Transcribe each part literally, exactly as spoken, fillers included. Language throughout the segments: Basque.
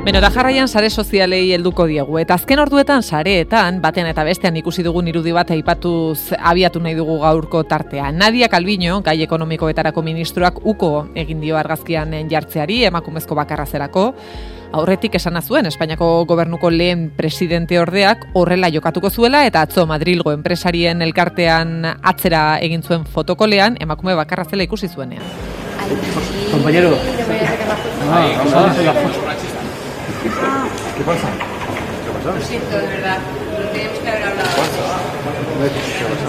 Beno, da jarraian sare sozialei helduko diegu. Eta azken orduetan sareetan, batean eta bestean ikusi dugun irudi bat aipatuz abiatu nahi dugu gaurko tartea. Nadia Calviño, gai ekonomikoetarako ministroak uko egin dio argazkian jartzeari, emakumezko bakarra zerako. Aurretik esana zuen Espainiako gobernuko lehen presidente ordeak horrela jokatuko zuela eta atzo Madrilgo enpresarien elkartean atzera egin zuen fotokolean emakume bakarra zela ikusi zuenean. Compañero. Ah, vamos a hacer la foto. ¿Qué pasa? ¿Qué pasa? Lo siento, de verdad. Lo teníamos que haber hablado.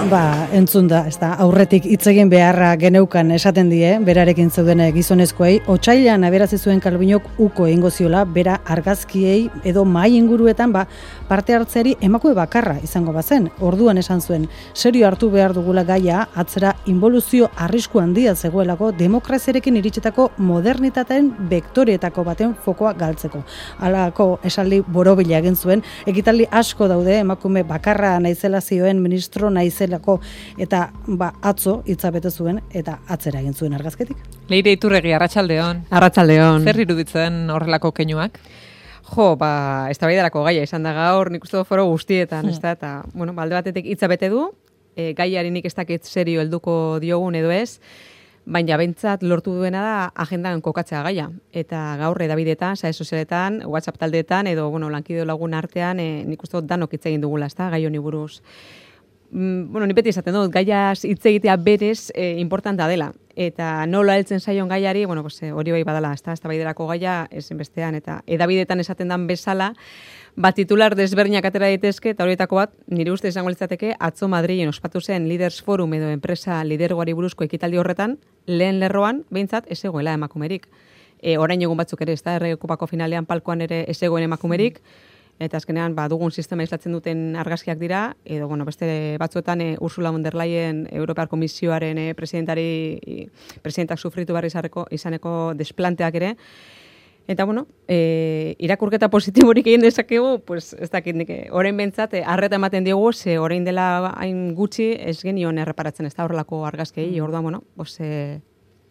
Ba, entzun da, ez da, aurretik hitz egin beharra geneukan esaten die, berarekin zeuden gizonezkoei, otsailean aberazi zuen Calviñok uko egingo ziola, bera argazkiei edo mahai inguruetan ba, parte hartzeari emakume bakarra izango bazen. Orduan esan zuen, serio hartu behar dugula gaia, atzera involuzio arrisku handia zegoelako demokraziarekin iritsetako modernitateen vektoreetako baten fokoa galtzeko. Halako esaldi borobila egin zuen, ekitaldi asko daude emakume bakarra naizela zioen ministro naizelako eta ba atzo hitza bete zuen eta atzera egin zuen argazketik. Leire Iturregi, arratsaldeon. Arratsaldeon. Zer iruditzen horrelako keinuak? Jo, ba, eztabaidarako gaia izan da gaur, nik uste dut foro guztietan, hmm. ez da, eta, bueno, alde batetik hitza bete du, e, gaiari nik ez dakit serio helduko diogun edo ez, baina bentsat lortu duena da agendan kokatzea gaia. Eta gaur edabidetan, sare sozialetan, WhatsApp taldeetan, edo, bueno, lankide lagun artean, e, nik uste dut danok hitz egin dugula, ez da, gai honi buruz. Mm, bueno, ni beti esaten dut, gaiaz hitz egitea berez e, importanta dela. Eta nola heltzen zaion gaiari, bueno, pues, hori bai badala, ez da, eztabaidarako gaia ezinbestean, eta edabidetan esaten dan bezala, bat titular desberdinak atera daitezke, eta horietako bat, nire uste izango litzateke, atzo Madrilen ospatu zen Leaders Forum edo enpresa lidergoari buruzko ekitaldi horretan, lehen lerroan, behintzat, ez egoela emakumerik. E, orain egun batzuk ere, ez da, errekupako finalean palkoan ere ez egoen emakumerik, eta azkenean ba, dugun sistema islatzen duten argazkiak dira, edo bueno, beste batzuetan e, Ursula von der Leyen Europar Komisioaren e, presidentari, presidentak sufritu barri izareko, izaneko desplanteak ere. Eta bueno, e, irakurketa positiborik egin dezakegu, pues, ez dakit nik, orain bentsat, e, arreta ematen diogu, ze orain dela hain gutxi ez genion erreparatzen ez da horrelako argazkei, mm. orduan, bueno, pues, e,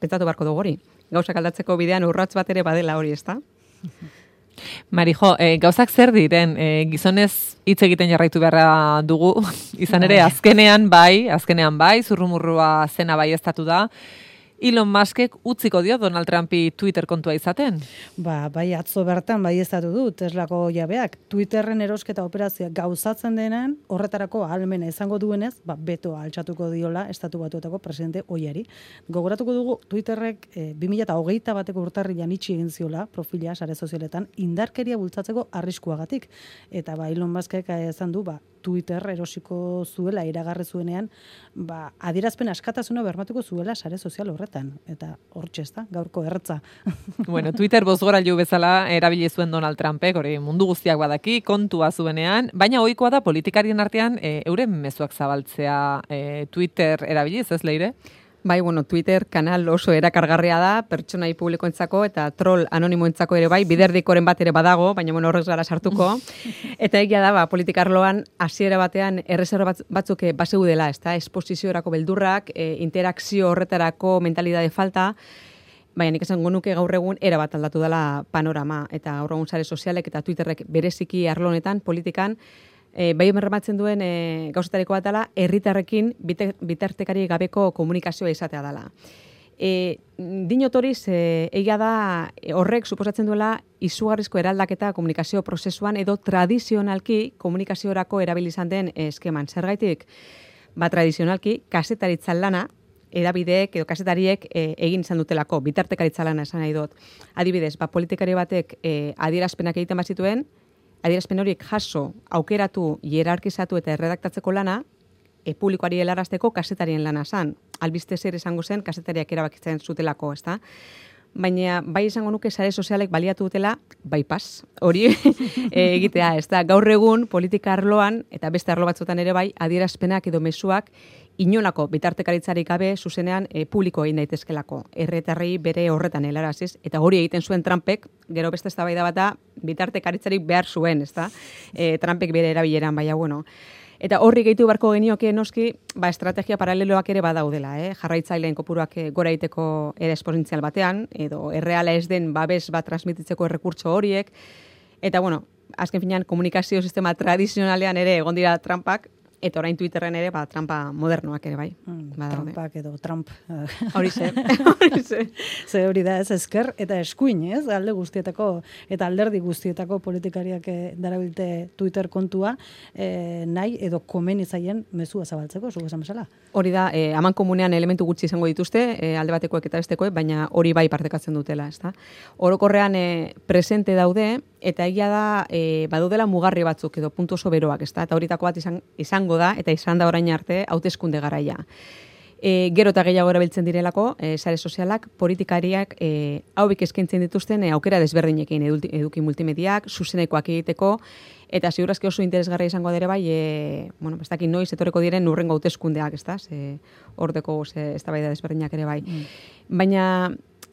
pentsatu beharko dugu hori. Gauzak aldatzeko bidean urrats bat ere badela hori, ez da? Marijo, e, gauzak zer diren, e, gizonez hitz egiten jarraitu beharra dugu, izan ere azkenean bai, azkenean bai, zurrumurrua zena bai estatu da, Elon Muskek utziko dio Donald Trumpi Twitter kontua izaten? Ba, bai atzo bertan bai estatu du Teslako jabeak, Twitterren erosketa operazioa gauzatzen denean, horretarako ahalmena izango duenez, ba, beto altxatuko diola estatu batuetako presidente oiari. Gogoratuko dugu Twitterrek e, bi mila hogeita bateko urtarrilan itxi egin ziola profila sare sozialetan indarkeria bultzatzeko arriskuagatik. Eta ba, Elon Muskek esan du, ba, Twitter erosiko zuela iragarri zuenean, ba, adierazpen askatasuna bermatuko zuela sare sozial horretan. Eta hortxe ez da, gaurko erretza. Bueno, Twitter bozgorailu bezala erabili zuen Donald Trumpek, hori mundu guztiak badaki, kontua zuenean, baina ohikoa da politikarien artean e, euren mezuak zabaltzea e, Twitter erabiliz, ez Leire? Bai, bueno, Twitter kanal oso erakargarria da, pertsonai publikoentzako eta troll anonimoentzako ere bai, biderdikoren bat ere badago, baina bueno, horrez gara sartuko. Eta egia da, ba, politikarloan hasiera batean erreserba batzuk baseu dela, ezta? Esposiziorako beldurrak, e, interakzio horretarako mentalidade falta, baina nik esango nuke gaur egun era bat aldatu dela panorama, eta gaur egun sare sozialek eta Twitterrek bereziki arlo honetan, politikan, E, bai bermatzen duen e, gauzetareko bat dela, herritarrekin bitartekari gabeko komunikazioa izatea dela. E, Dinotoriz, e, egia da horrek suposatzen duela izugarrizko eraldaketa komunikazio prozesuan edo tradizionalki komunikaziorako erabilizan den eskeman. Zergaitik, ba, tradizionalki, kazetaritzan lana, edabideek edo kazetariek e, egin izan dutelako, bitartekaritza lana esan nahi dut. Adibidez, ba, politikari batek e, adierazpenak egiten bazituen, adierazpen horiek jaso, aukeratu, hierarkizatu eta erredaktatzeko lana, e, publikoari helarazteko kasetarien lana zan. Albiste zer esango zen, kasetariak erabakitzen zutelako, ezta? Baina bai izango nuke sare sozialek baliatu dutela bypass hori e, egitea, ezta? Gaur egun politika arloan eta beste arlo batzuetan ere bai adierazpenak edo mezuak inolako bitartekaritzarik gabe zuzenean e, publiko egin daitezkelako. Herritarrei bere horretan helaraziz eta hori egiten zuen Trumpek, gero beste eztabaida bat da bitartekaritzarik behar zuen, ezta? E, Trumpek bere erabileran, baina bueno. Eta horri gehitu beharko genioke noski, ba, estrategia paraleloak ere badaudela, eh? Jarraitzaileen kopuruak gora egiteko ere esponentzial batean, edo erreala ez den babes bat transmititzeko errekurtso horiek, Eta, bueno, azken finean, komunikazio sistema tradizionalean ere egon dira trampak, eta orain Twitterren ere, ba, trampa modernoak ere, bai. Mm, Badaude. Trumpak edo Trump. Horixe, horixe. Ze hori da ez ezker eta eskuin, ez? Alde guztietako eta alderdi guztietako politikariak eh, darabilte Twitter kontua eh, nahi edo komeni zaien mezua zabaltzeko, zugu esan bezala. Hori da, eh, aman komunean elementu gutxi izango dituzte, eh, alde batekoek eta bestekoek, baina hori bai partekatzen dutela, ezta? Orokorrean eh, presente daude, eta egia da, eh, badudela mugarri batzuk edo puntu oso beroak, ezta? Eta horitako bat izan, izango da, eta izan da orain arte, hauteskunde garaia. E, gero eta gehiago erabiltzen direlako, e, sare sozialak, politikariak e, haubik eskaintzen dituzten e, aukera desberdinekin, eduki, eduki multimediak, zuzenekoak egiteko, eta ziurazki oso interesgarria izango dere bai, e, bueno, ez dakit noiz etorreko diren urrengo hauteskundeak, ez da, ze ordeko ze eztabaida desberdinak ere bai. Mm. Baina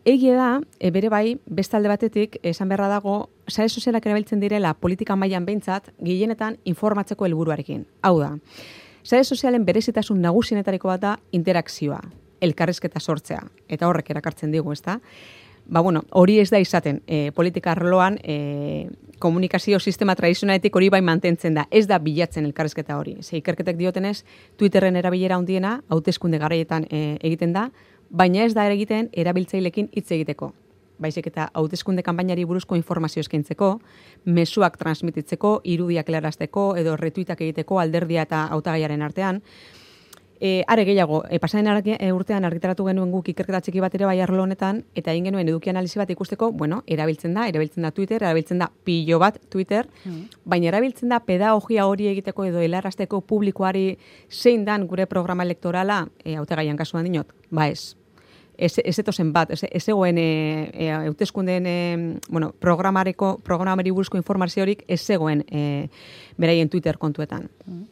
egia da, e, bere bai, beste alde batetik, esan beharra dago, sare sozialak erabiltzen direla politika mailan behintzat, gehienetan informatzeko helburuarekin. Hau da, sare sozialen berezitasun nagusienetariko bat da interakzioa, elkarrizketa sortzea, eta horrek erakartzen digu, ezta? Ba, bueno, hori ez da izaten, e, politika arloan, e, komunikazio sistema tradizionaletik hori bai mantentzen da, ez da bilatzen elkarrizketa hori. Ze ikerketek diotenez, Twitterren erabilera handiena, hauteskunde garaietan e, egiten da, baina ez da egiten erabiltzailekin hitz egiteko. Baizik eta hauteskunde kanpainari buruzko informazio eskaintzeko, mezuak transmititzeko, irudiak helarazteko edo retuitak egiteko alderdia eta hautagaiaren artean. E, are gehiago, e, pasaren argi, e, urtean argitaratu genuen guk ikerketa txiki bat ere bai arlo honetan, eta egin genuen eduki analizi bat ikusteko, bueno, erabiltzen da, erabiltzen da Twitter, erabiltzen da pilo bat Twitter, mm. baina erabiltzen da pedagogia hori egiteko edo helarazteko publikoari zein dan gure programa elektorala, e, hautagaian kasuan dinot, ba ez. Ez, ez etozen bat, ez, ez egoen e, e, hauteskundeen e, bueno, programareko, programari buruzko informaziorik ez zegoen e, beraien Twitter kontuetan. Mm.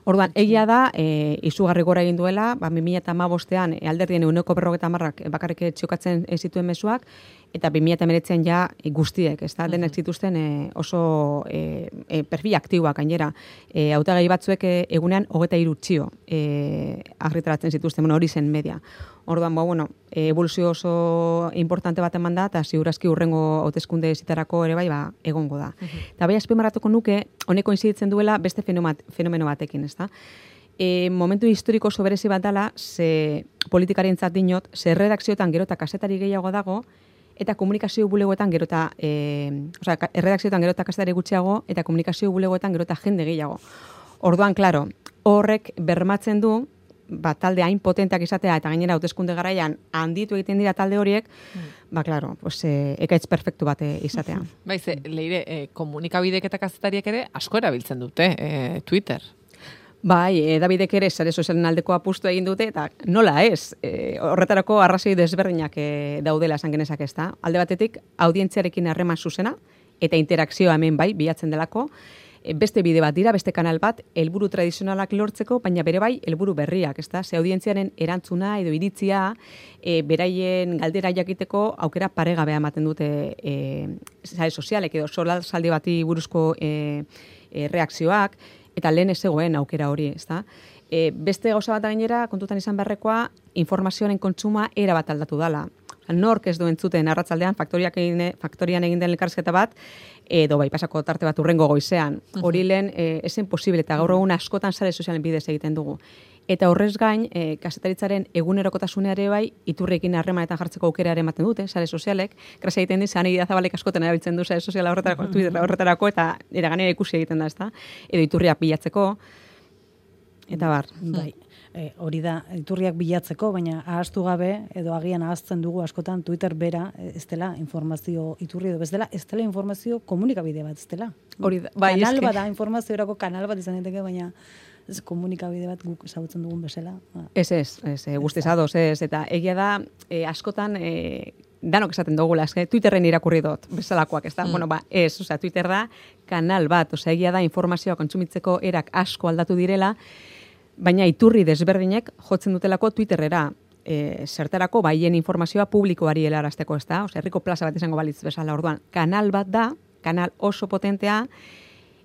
Orduan, egia da, e, izugarri gora egin duela, ba, bi mila hamabostean e, alderdien ehuneko berrogeita hamarrak bakarrik txokatzen zituen mezuak, eta bi mila hemeretzian ja e, guztiek, ez da, uh-huh. denek zituzten e, oso e, e, perfil aktiboak gainera. E, hautagai batzuek e, egunean hogeita hiru txio e, argitaratzen zituzten, bueno, hori zen media. Orduan, ba, bueno, evoluzio oso importante bat eman da, eta ziurazki urrengo hauteskunde zitarako ere bai, ba, egongo da. Uh-huh. Eta bai, azpimarratuko nuke, honeko inziditzen duela beste fenomeno batekin, ez da? E, momentu historiko oso berezi bat dela, ze politikarientzat dinot, ze redakzioetan gero eta kasetari gehiago dago, eta komunikazio bulegoetan gero eta, e, osea, erredakzioetan gero eta kasetari gutxiago, eta komunikazio bulegoetan gero eta jende gehiago. Orduan, klaro, horrek bermatzen du, ba, talde hain potenteak izatea, eta gainera hauteskunde garaian handitu egiten dira talde horiek, mm. ba, klaro, pues, e, ekaitz perfektu bat izatea. Baiz, leire, e, komunikabidek eta kazetariek ere asko erabiltzen dute, e, Twitter. Bai, edabidek ere sare sozialen aldeko apustu egin dute, eta nola ez, e, horretarako arrazoi desberdinak e, daudela esan genezak ez da. Alde batetik, audientziarekin harreman zuzena, eta interakzioa hemen bai, bilatzen delako, e, beste bide bat dira, beste kanal bat, helburu tradizionalak lortzeko, baina bere bai, helburu berriak, ez da? Ze audientziaren erantzuna edo iritzia, e, beraien galdera jakiteko aukera paregabea ematen dute e, sare sozialek edo solalzaldi bati buruzko e, e, reakzioak, eta lehen ez zegoen aukera hori, ezta? E, beste gauza bat gainera, kontutan izan beharrekoa, informazioaren kontsuma era bat aldatu dala. Nork ez du entzuten arratzaldean faktoriak egin, faktorian egin den elkarrizketa bat, edo bai pasako tarte bat urrengo goizean. Hori lehen e, esen posible, eta gaur egun askotan sare sozialen bidez egiten dugu. Eta horrez gain, e, kazetaritzaren egunerokotasuneare bai, iturriekin harremanetan jartzeko aukera ere ematen dute, sare sozialek. Grazia egiten diz, Ane Idazabalek askotan erabiltzen du sare soziala horretarako, Twitter horretarako, eta eraganera ikusi egiten da, ezta? Edo iturriak bilatzeko, eta bar. Bai. E, hori da, iturriak bilatzeko, baina ahaztu gabe, edo agian ahazten dugu askotan Twitter bera, ez dela informazio iturri edo, ez dela, ez dela informazio komunikabide bat, ez dela. Hori da, bai, kanal bat da, informaziorako kanal bat izan daiteke, baina ez komunikabide bat guk ezagutzen dugun bezala. Ba. Ez, ez, ez, guztiz ados, ez, eta egia da, e, askotan, e, danok esaten dugula, eske Twitterren irakurri dut, bezalakoak, ez da? Mm. Bueno, ba, ez, osea, Twitter da kanal bat, osea, egia da informazioa kontsumitzeko erak asko aldatu direla, baina iturri desberdinek jotzen dutelako Twitterrera, e, zertarako baien informazioa publikoari helarazteko, ez da? Osea, herriko plaza bat izango balitz bezala, orduan, kanal bat da, kanal oso potentea,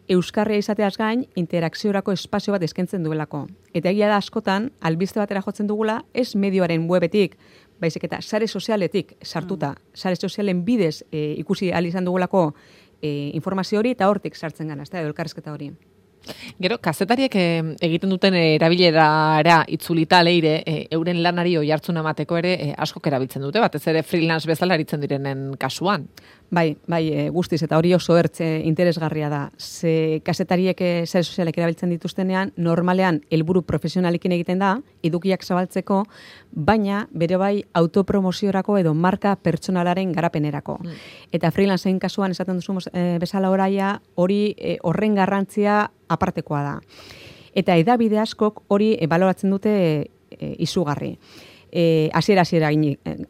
euskarria izateaz gain, interakziorako espazio bat eskaintzen duelako. Eta egia da askotan, albiste batera jotzen dugula, ez medioaren webetik, baizik eta sare sozialetik sartuta, mm. sare sozialen bidez e, ikusi ahal izan dugulako e, informazio hori eta hortik sartzen gana, ez da, edo elkarrizketa hori. Gero, kazetariek eh, egiten duten erabilerara itzulita leire, eh, euren lanari oihartzuna emateko ere eh, askok erabiltzen dute, batez ere freelance bezala aritzen direnen kasuan. Bai, bai, e, guztiz, eta hori oso ertze interesgarria da. Ze kazetariek e, sare sozialek erabiltzen dituztenean, normalean helburu profesionalekin egiten da, edukiak zabaltzeko, baina bere bai autopromoziorako edo marka pertsonalaren garapenerako. Mm. Eta freelanceen kasuan esaten duzu e, bezala oraia, hori e, horren garrantzia apartekoa da. Eta edabide askok hori e, baloratzen dute e, izugarri. Eh, asiera asiera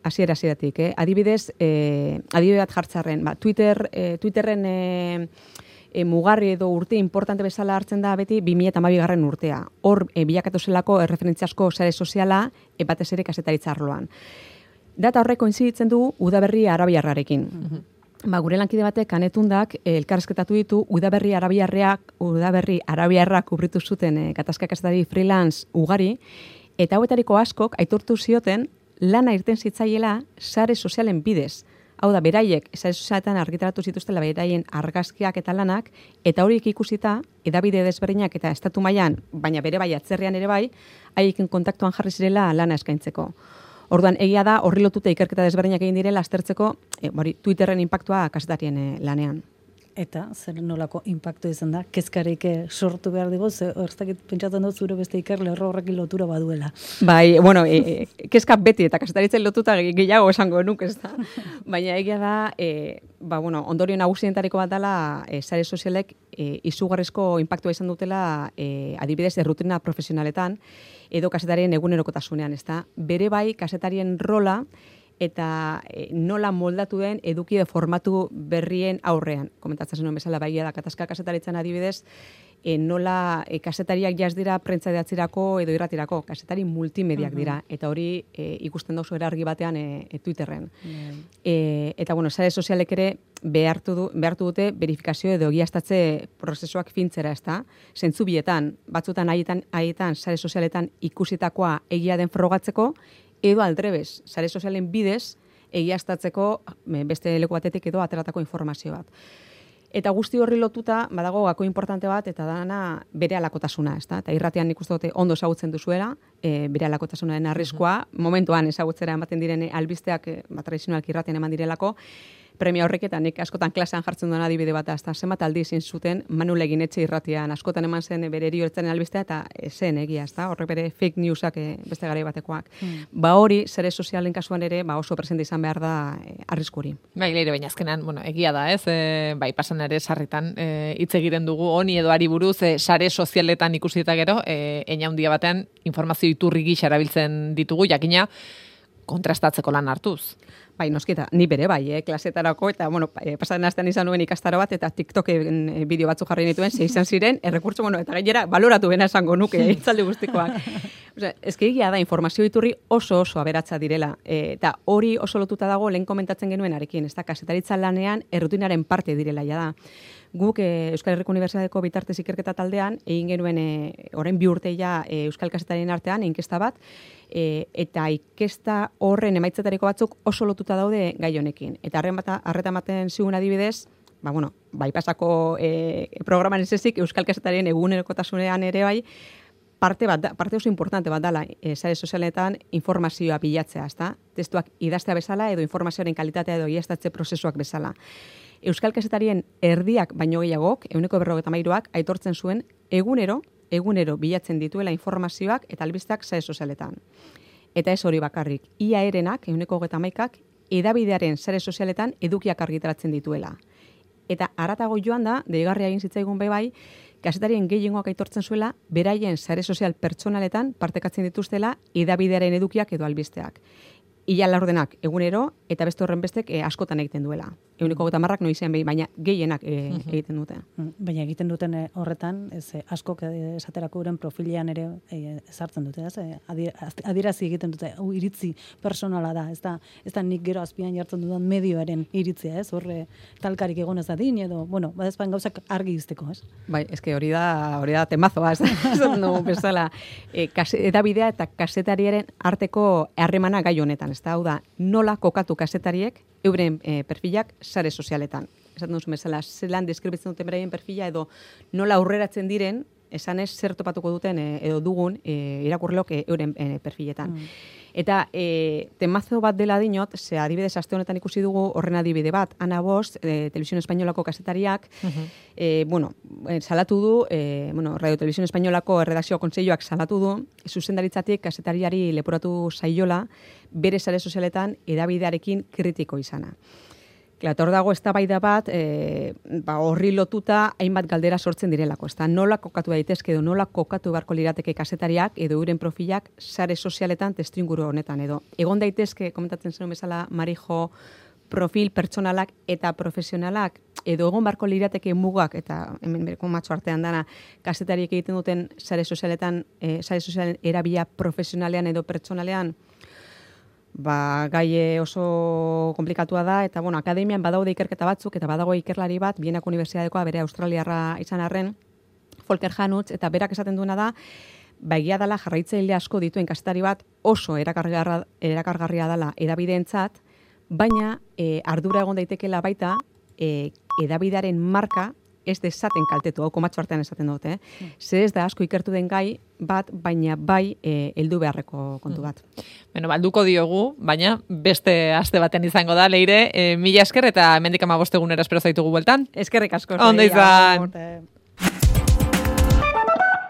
asiera asieratik, eh? Adibidez, eh, adibide bat jartzarren, ba, Twitter, eh, Twitterren eh, eh, mugarri edo urte importante bezala hartzen da beti bi mila hamabigarren urtea. Hor eh, bilakatu zelako erreferentziasko sare soziala e, batez ere kazetaritza arloan. Data horrek koinziditzen du udaberri arabiarrarekin. Mm-hmm. Ba, gure lankide batek kanetundak eh, elkarrezketatu ditu udaberri arabiarreak, udaberri arabiarrak kubritu zuten eh, gatazka kazetari freelance ugari. Eta hauetariko askok aitortu zioten lana irten zitzaiela sare sozialen bidez. Hau da, beraiek sare sozialetan argitaratu zituztela beraien argazkiak eta lanak, eta horiek ikusita, edabide desberdinak eta estatu mailan, baina bere bai atzerrian ere bai, haiekin kontaktuan jarri zirela lana eskaintzeko. Orduan, egia da, horri lotuta ikerketa desberdinak egin direla aztertzeko e, bori, Twitterren inpaktua kazetarien e, lanean. Eta zer nolako inpaktu izan da, kezkarik sortu behar dugu, ze horzakit pentsatzen dut zure beste ikerle horrekin lotura baduela. Bai, bueno, e, e, kezka beti eta kazetaritzen lotuta gehiago esango nuk, ez da. Baina egia da, e, ba, bueno, ondorio nagusientariko bat dela, e, sare sozialek e, izugarrizko inpaktua izan dutela e, adibidez errutina profesionaletan edo kazetarien egunerokotasunean, ez da. Bere bai, kazetarien rola eta e, nola moldatu den eduki de formatu berrien aurrean. Komentatzen zenuen bezala baigia da, katazka kazetaritzen adibidez, e, nola e, kazetariak jaz dira prentza idatzirako edo irratirako, kazetari multimediak dira, eta hori e, ikusten dauzo erargi batean e, e, Twitterren. Mm. E, eta, bueno, sare sozialek ere behartu, du, behartu dute verifikazio edo egiaztatze prozesuak fintzera, ez da? Zentzu bietan, batzutan haietan, haietan sare sozialetan ikusitakoa egia den frogatzeko, edo aldrebez, sare sozialen bidez, egiaztatzeko beste leku batetik edo ateratako informazio bat. Eta guzti horri lotuta, badago gako importante bat, eta dana bere alakotasuna, ez da? Eta irratian nik uste dute ondo ezagutzen duzuela, e, bere alakotasunaren arriskua, uh-huh. momentuan ezagutzera ematen diren albisteak, e, tradizionalki irratian eman direlako, premia horrek eta nik askotan klasean jartzen duen adibide bat, azta zenbat aldi izin zuten Manu Leginetxe irratian, askotan eman zen bere erioertzaren albistea eta zen egia, ezta? Horrek bere fake newsak beste garai batekoak. Hmm. Ba hori, sare sozialen kasuan ere, ba oso presente izan behar da e, arrisku hori. Bai, leire, baina azkenan, bueno, egia da, ez? E, bai, pasan ere sarritan e, hitz egiren dugu honi edo ari buruz, e, sare sozialetan ikusi eta gero, e, eina handia batean informazio iturri gisa erabiltzen ditugu, jakina kontrastatzeko lan hartuz. Bai, nosketa, ni bere bai, eh, klasetarako, eta, bueno, eh, pasatzen astean izan nuen ikastaro bat, eta TikToken eh, bideo batzu jarri nituen, ze izan ziren, errekurtso, bueno, eta gainera, baloratu bena esango nuke, eh, itzaldi guztikoak. Osea, ezke egia da, informazio iturri oso oso aberatsa direla, eh, eta hori oso lotuta dago lehen komentatzen genuen arekin, ez da, kasetaritza lanean errutinaren parte direla, ja da. Guk e, Euskal Herriko Unibertsitateko bitartez ikerketa taldean egin genuen e, orain bi urte ja e, Euskal Kazetarien artean inkesta bat e, eta inkesta horren emaitzetariko batzuk oso lotuta daude gai honekin. Eta harren bat harreta ematen zigun adibidez, ba bueno, bai pasako e, programan ez ezik Euskal Kazetarien egunerokotasunean ere bai parte bat da, parte oso importante bat dela e, sare sozialetan informazioa bilatzea, ezta? Testuak idaztea bezala edo informazioaren kalitatea edo egiaztatze prozesuak bezala. Euskal Kazetarien erdiak baino gehiagok, ehuneko berrogeita hamairuak aitortzen zuen egunero, egunero bilatzen dituela informazioak eta albisteak sare sozialetan. Eta ez hori bakarrik, ia erenak, ehuneko hogeita hamaikak, edabidearen sare sozialetan edukiak argitaratzen dituela. Eta haratago joan da, deigarria egin zitzaigun bai bai, kazetarien gehiengoak aitortzen zuela, beraien sare sozial pertsonaletan partekatzen dituztela edabidearen edukiak edo albisteak. Ia laurdenak egunero, eta beste horren bestek e, askotan egiten duela. Eguneko gota marrak noizean behi, baina gehienak e, egiten dute. Baina egiten duten e, horretan, ez, e, askok esaterako uren profilean ere e, ezartzen dute, ez? E, adierazi egiten dute, hau iritzi personala da, ez da, ez da nik gero azpian jartzen dudan medioaren iritzia, ez? Horre talkarik egon ez dadin, edo, bueno, badezpan gauzak argi izteko, ez? Bai, eske hori da, hori da temazoa, ez da, no, bezala, e, kase, edabidea eta kazetariaren arteko harremana gai honetan, ez da, hau da, nola kokatu kazetariek euren e, perfilak sare sozialetan. esaten duzu bezala, zelan deskribitzen duten beraien perfila edo nola aurreratzen diren, esanez zer topatuko duten e, edo dugun e, irakurleok e, euren e, perfiletan. Mm. Eta e, temazo bat dela dinot, ze adibidez aste honetan ikusi dugu horren adibide bat, Ana Bost, e, Televisión Espainolako kazetariak, uh-huh. e, bueno, e, salatu du, e, bueno, Radio Televisión Espainolako erredakzio kontseiluak salatu du, zuzendaritzatik kazetariari leporatu zaiola, bere sare sozialetan edabidearekin kritiko izana. Hor dago eztabaida bat, e, ba, horri lotuta hainbat galdera sortzen direlako. Ezta nola kokatu daitezke edo nola kokatu beharko lirateke kazetariak edo euren profilak sare sozialetan testuinguru honetan edo. Egon daitezke, komentatzen zenuen bezala, Marijo, profil pertsonalak eta profesionalak edo egon beharko lirateke mugak eta hemen bereko matxo artean dana kazetariek egiten duten sare sozialetan, e, sare sozialen erabila profesionalean edo pertsonalean. Ba, gai oso komplikatua da, eta bueno, akademian badaude ikerketa batzuk, eta badago ikerlari bat, Bienako Unibertsitatekoa bere australiarra izan arren, Volker Hanutz, eta berak esaten duena da, ba, egia dela jarraitzaile asko dituen kazetari bat oso erakargarria, erakargarria dela edabideentzat, baina e, ardura egon daitekela baita e, edabidearen marka ez dezaten kaltetu, hau komatxo artean esaten dut, eh? Mm. Ze ez da asko ikertu den gai bat, baina bai e, heldu beharreko kontu bat. Mm. Bueno, balduko diogu, baina beste aste baten izango da, Leire, e, mila esker eta hemendik hamabost egunera espero zaitugu bueltan. Eskerrik asko. Ondo izan.